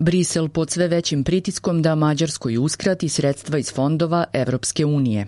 Brisel pod sve većim pritiskom da Mađarskoj uskrati sredstva iz fondova Evropske unije.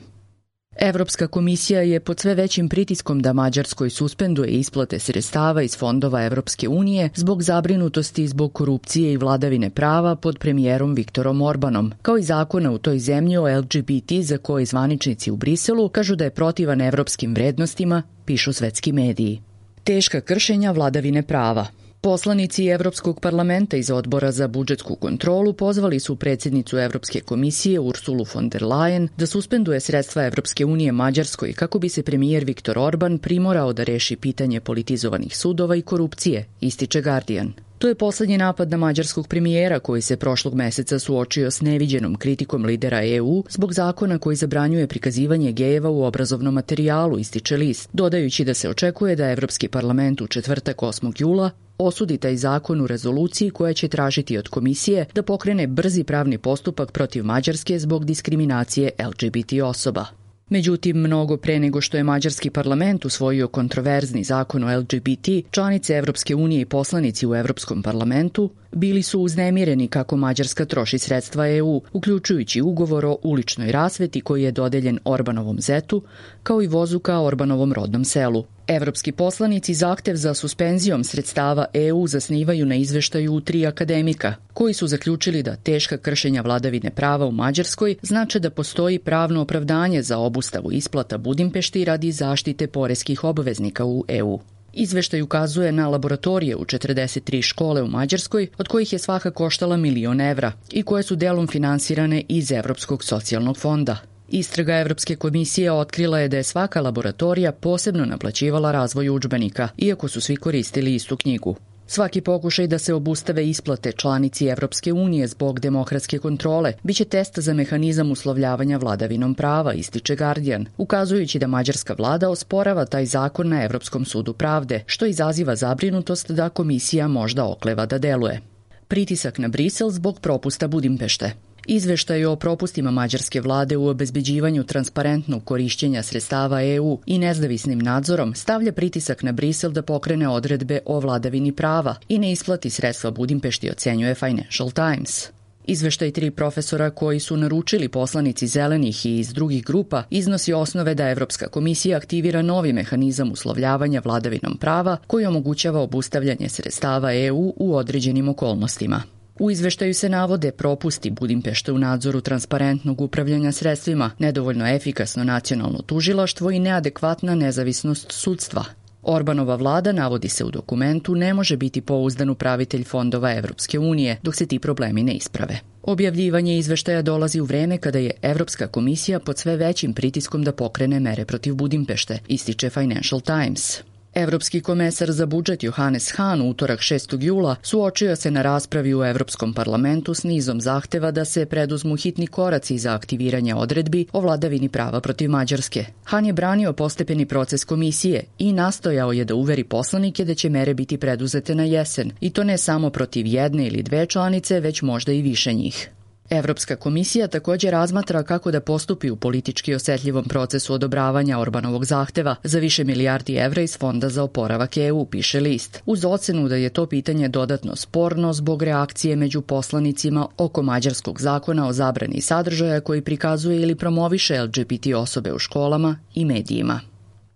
Evropska komisija je pod sve većim pritiskom da Mađarskoj suspenduje isplate sredstava iz fondova Evropske unije zbog zabrinutosti zbog korupcije i vladavine prava pod premijerom Viktorom Orbanom, kao i zakona u toj zemlji o LGBT za koje zvaničnici u Briselu kažu da je protivan evropskim vrednostima, pišu svetski mediji. Teška kršenja vladavine prava. Poslanici Evropskog parlamenta iz Odbora za budžetsku kontrolu pozvali su predsjednicu Evropske komisije Ursulu von der Leyen da suspenduje sredstva Evropske unije Mađarskoj kako bi se premijer Viktor Orban primorao da reši pitanje politizovanih sudova i korupcije, ističe Guardian. To je poslednji napad na mađarskog premijera koji se prošlog meseca suočio s neviđenom kritikom lidera EU zbog zakona koji zabranjuje prikazivanje gejeva u obrazovnom materijalu, ističe list, dodajući da se očekuje da Evropski parlament u četvrtak 8. jula osudi taj zakon u rezoluciji koja će tražiti od komisije da pokrene brzi pravni postupak protiv Mađarske zbog diskriminacije LGBT osoba. Međutim, mnogo pre nego što je mađarski parlament usvojio kontroverzni zakon o LGBT, članice Evropske unije i poslanici u Evropskom parlamentu bili su uznemireni kako Mađarska troši sredstva EU, uključujući ugovor o uličnoj rasveti koji je dodeljen Orbanovom zetu, kao i vozu ka Orbanovom rodnom selu. Evropski poslanici zahtev za suspenzijom sredstava EU zasnivaju na izveštaju 3 akademika, koji su zaključili da teška kršenja vladavine prava u Mađarskoj znače da postoji pravno opravdanje za obustavu isplata Budimpešti radi zaštite poreskih obveznika u EU. Izveštaj ukazuje na laboratorije u 43 škole u Mađarskoj, od kojih je svaka koštala 1 milion evra i koje su delom finansirane iz Evropskog socijalnog fonda. Istraga Evropske komisije otkrila je da je svaka laboratorija posebno naplaćivala razvoj udžbenika, iako su svi koristili istu knjigu. Svaki pokušaj da se obustave isplate članici Evropske unije zbog demokratske kontrole biće test za mehanizam uslovljavanja vladavinom prava, ističe Guardian, ukazujući da mađarska vlada osporava taj zakon na Evropskom sudu pravde, što izaziva zabrinutost da komisija možda okleva da deluje. Pritisak na Brisel zbog propusta Budimpešte. Izveštaj o propustima mađarske vlade u obezbeđivanju transparentnog korišćenja sredstava EU i nezavisnim nadzorom stavlja pritisak na Brisel da pokrene odredbe o vladavini prava i ne isplati sredstva Budimpešti, ocenjuje Financial Times. Izveštaj 3 profesora koji su naručili poslanici zelenih i iz drugih grupa iznosi osnove da Evropska komisija aktivira novi mehanizam uslovljavanja vladavinom prava koji omogućava obustavljanje sredstava EU u određenim okolnostima. U izveštaju se navode propusti Budimpešte u nadzoru transparentnog upravljanja sredstvima, nedovoljno efikasno nacionalno tužilaštvo i neadekvatna nezavisnost sudstva. Orbanova vlada, navodi se u dokumentu, ne može biti pouzdan upravitelj fondova Evropske unije dok se ti problemi ne isprave. Objavljivanje izveštaja dolazi u vreme kada je Evropska komisija pod sve većim pritiskom da pokrene mere protiv Budimpešte, ističe Financial Times. Evropski komesar za budžet Johannes Hahn u utorak 6. jula suočio se na raspravi u Evropskom parlamentu s nizom zahteva da se preduzmu hitni koraci za aktiviranje odredbi o vladavini prava protiv Mađarske. Hahn je branio postepeni proces komisije i nastojao je da uveri poslanike da će mere biti preduzete na jesen, i to ne samo protiv jedne ili dve članice, već možda i više njih. Evropska komisija također razmatra kako da postupi u politički osetljivom procesu odobravanja Orbanovog zahteva za više milijardi evra iz Fonda za oporavak EU, piše list, uz ocenu da je to pitanje dodatno sporno zbog reakcije među poslanicima oko mađarskog zakona o zabrani sadržaja koji prikazuje ili promoviše LGBT osobe u školama i medijima.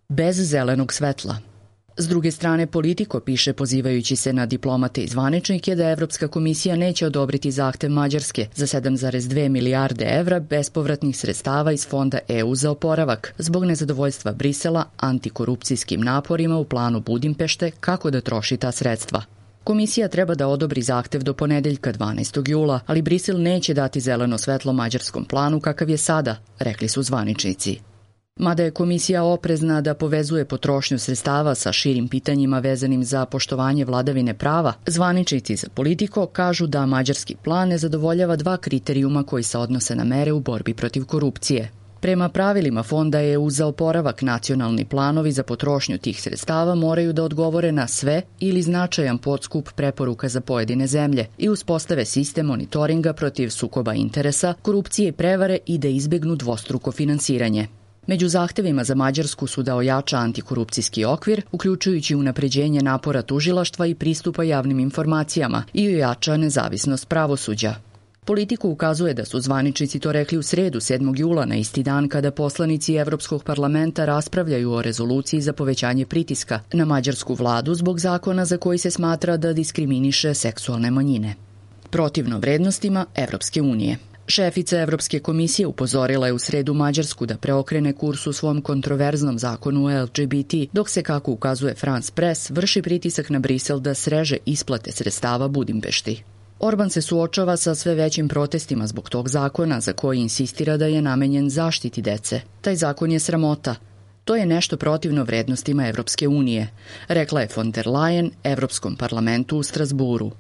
Bez zelenog svetla. S druge strane, Politico piše, pozivajući se na diplomate i zvaničnike, da Evropska komisija neće odobriti zahtev Mađarske za 7,2 milijarde evra bespovratnih sredstava iz Fonda EU za oporavak, zbog nezadovoljstva Brisela antikorupcijskim naporima u planu Budimpešte kako da troši ta sredstva. Komisija treba da odobri zahtev do ponedeljka 12. jula, ali Brisel neće dati zeleno svetlo mađarskom planu kakav je sada, rekli su zvaničnici. Mada je komisija oprezna da povezuje potrošnju sredstava sa širim pitanjima vezanim za poštovanje vladavine prava, zvaničnici za Politico kažu da mađarski plan ne zadovoljava 2 kriterijuma koji se odnose na mere u borbi protiv korupcije. Prema pravilima Fonda EU za oporavak, nacionalni planovi za potrošnju tih sredstava moraju da odgovore na sve ili značajan podskup preporuka za pojedine zemlje i uspostave sistem monitoringa protiv sukoba interesa, korupcije i prevare i da izbegnu dvostruko finansiranje. Među zahtevima za Mađarsku su da ojača antikorupcijski okvir, uključujući unapređenje napora tužilaštva i pristupa javnim informacijama i ojača nezavisnost pravosuđa. Politiku ukazuje da su zvaničnici to rekli u sredu 7. jula, na isti dan kada poslanici Evropskog parlamenta raspravljaju o rezoluciji za povećanje pritiska na mađarsku vladu zbog zakona za koji se smatra da diskriminiše seksualne manjine. Protivno vrednostima Evropske unije. Šefica Evropske komisije upozorila je u sredu Mađarsku da preokrene kurs u svom kontroverznom zakonu o LGBT, dok se, kako ukazuje France Press, vrši pritisak na Brisel da sreže isplate sredstava Budimpešti. Orban se suočava sa sve većim protestima zbog tog zakona za koji insistira da je namenjen zaštiti dece. Taj zakon je sramota. To je nešto protivno vrednostima Evropske unije, rekla je von der Leyen Evropskom parlamentu u Strasburu.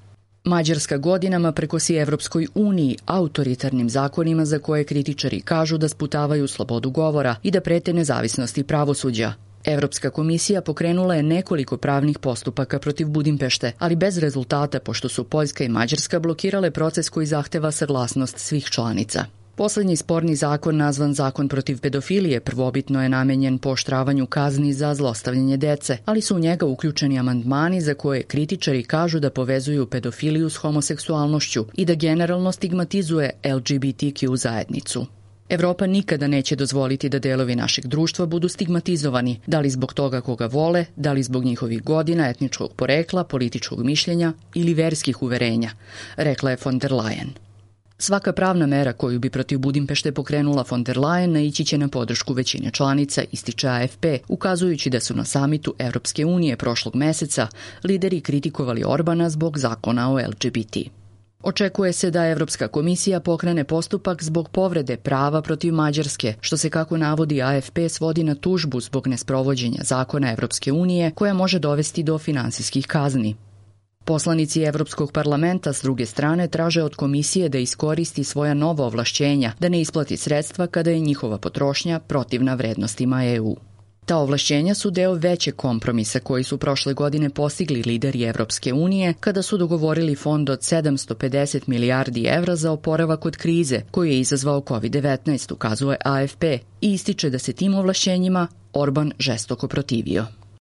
Mađarska godinama prekosi Evropskoj uniji autoritarnim zakonima za koje kritičari kažu da sputavaju slobodu govora i da prete nezavisnosti pravosuđa. Evropska komisija pokrenula je nekoliko pravnih postupaka protiv Budimpešte, ali bez rezultata pošto su Poljska i Mađarska blokirale proces koji zahteva saglasnost svih članica. Poslednji sporni zakon, nazvan Zakon protiv pedofilije, prvobitno je namenjen pooštravanju kazni za zlostavljanje dece, ali su u njega uključeni amandmani za koje kritičari kažu da povezuju pedofiliju s homoseksualnošću i da generalno stigmatizuje LGBTQ zajednicu. Evropa nikada neće dozvoliti da delovi našeg društva budu stigmatizovani, da li zbog toga koga vole, da li zbog njihovih godina, etničkog porekla, političkog mišljenja ili verskih uverenja, rekla je von der Leyen. Svaka pravna mera koju bi protiv Budimpešte pokrenula von der Leyen naići će na podršku većine članica, ističe AFP, ukazujući da su na samitu Evropske unije prošlog meseca lideri kritikovali Orbana zbog zakona o LGBT. Očekuje se da Evropska komisija pokrene postupak zbog povrede prava protiv Mađarske, što se, kako navodi AFP, svodi na tužbu zbog nesprovođenja zakona Evropske unije koja može dovesti do finansijskih kazni. Poslanici Evropskog parlamenta s druge strane traže od komisije da iskoristi svoja nova ovlašćenja, da ne isplati sredstva kada je njihova potrošnja protivna vrednostima EU. Ta ovlašćenja su deo većeg kompromisa koji su prošle godine postigli lideri Evropske unije kada su dogovorili fond od 750 milijardi evra za oporavak od krize koju je izazvao COVID-19, ukazuje AFP, i ističe da se tim ovlašćenjima Orban žestoko protivio.